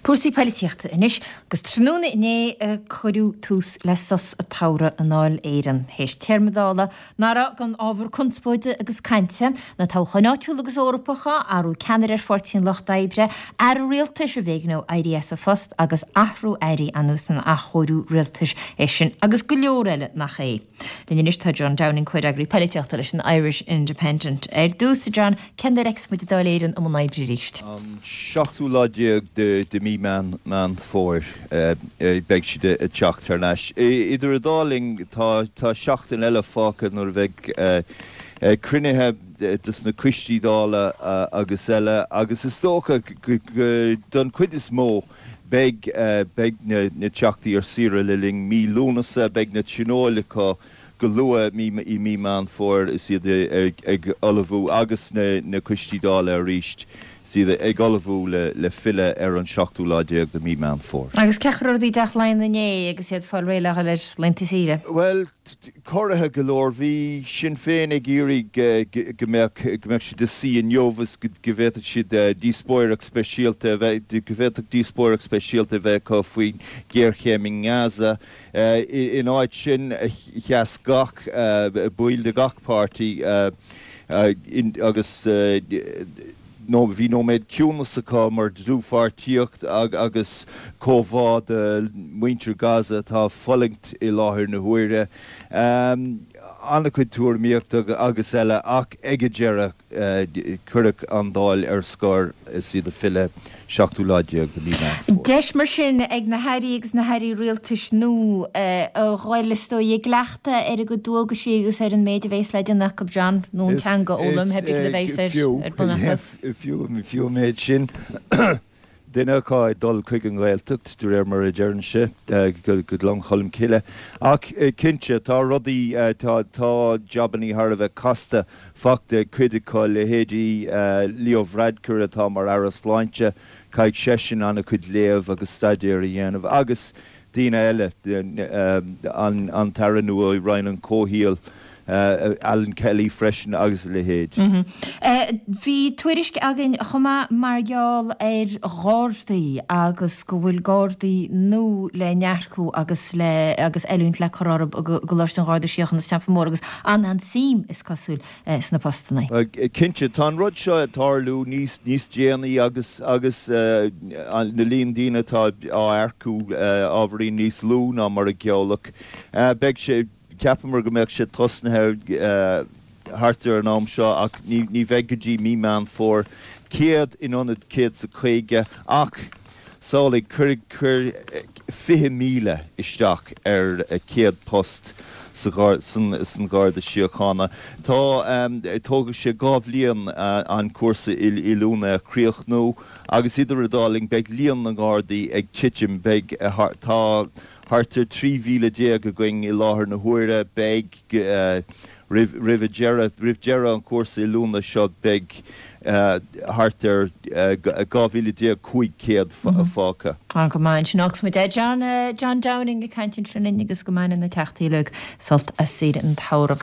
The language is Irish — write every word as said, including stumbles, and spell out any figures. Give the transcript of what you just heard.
Cúrsaí poilitíochta anois agus tráthnóna inné a cuireadh tús le sos an tsamhraidh i nDáil Éireann. Théis téarma Dála nach raibh gan ábhar conspóide agus cainte, na toghcháin áitiúla agus Eorpacha, athrú ceannaire ar Pháirtí an Lucht Oibre, aire rialtais arbh éigean dó éirí as a phost agus athrú airí anuas an athchóiriú rialtais é sin agus go leor eile nach é. Linn anois tá John Downing comhfhreagraí polaitíochta leis an Irish Independent. Ar dtús John, cén uair a fheicfeas muid Dáil Éireann i mbun oibre arís. An seachtú lá déag de, de mí Meán Meán Fómhair beidh siad ag teacht thar n-ais. Idir an dá linn tá tá seachtain eile fágtha nuair a bheidh cruinnithe dos na coistí Dála agus eile agus is dócha don chuid is mó beidh beidh na, na teachtaí ar saoire le linn mí Lúnasa, beidh na tionóil acu go luath mí i mí Meán Fómhair is iad ag, ag ullmhú agus na, na coistí Dála arís siad ag ullmhú le, le filleadh ar an seachtú lá déag de mí Meán Fómhair. Agus cén chaoi a raibh rudaí i dTeach Laighean inné agus iad fáil réidh le dhul ar laethanta saoire. Well, corraithe go leor bhí Sinn Féin ag iarraidh go mbeadh go mbeadh siad ag suí inniu agus go bhféadfadh siad díospóireacht speisialta a bheith go bhféadfadh díospóireacht speisialta a bheith acu faoin ghéarchéim i nGaza. In áit sin sheas gach baill de gach páirtí agus nó bhí nóiméad ciúnas acu mar dlúthpháirtíocht agus comhbhá do mhuintir Gaza atá ag fulaingt i láthair na huaire. An-chuid tuairimíochta agus eile ach ag an deireadh cuireadh an Dáil ar scor is iad ag filleadh seachtú lá déag de mí Meán Fómhair. Deis mar sin ag na hairí agus na hairí rialtais nua a dhul is dóigh i gcleachtadh ar a gcuid dualgaisí agus ar an méid a bhéas le déanamh acu John nó an teanga a fhoghlaim pé a bhéas ar ar bun acu. Fiú fiú an méid sin duine acu ag dul chuig an nGaeltacht de réir mar a deireann sé go Gleann Cholm Cille. Ach cinnte tá rudaí tá tá jabannaí thar a bheith casta fachta cuid acu leithéidí Leo Varadkar atá mar aire sláinte, caithfidh seisean an-chuid léamh agus staidéar a dhéanamh agus daoine eile an an tAire nua i Roinn an Chomhshaoil Alan Kelly freisin agus a leithéid. Bhí tuairisc againn chomh maith mar gheall ar Ghardaí agus go bhfuil Gardaí nua le n-earcú agus le agus oiliúint le cur orthu i gColáiste an Gharda Síochána sa Teampall Mór agus an-an-suim is cosúil sna postanna. Cinnte tá an rud seo ag tarlú níos níos déanaí agus agus na líon daoine atá á earcú ábhairín níos lú ná mar a gealladh. Beidh sé Cheapamar go mbeadh sé tosnaithe thart ar an am seo ach ní bheidh go dtí mí Meán Fómhair. Céad in ionad céad is a caoga ach samhlaigh, cuir cuir fiche míle isteach ar céad post sa san Gharda Síochána. Tá tógfaidh sé dhá bhliain an cúrsa oiliúna a chríochnú agus idir an dá linn beidh líon na nGardaí ag titim, beidh tá Thart ar trí mhíle déag againn i láthair na huaire. Beidh, roimh roimh deireadh roimh deireadh an chúrsa oiliúna seo, beidh thart ar dhá mhíle déag cúig chéad fágtha. Go maith ansin. Fágfaidh muid é. John John Downing ag caint ansin linn agus go mbaine na teachtaí uilig sult as saoire an tsamhraidh.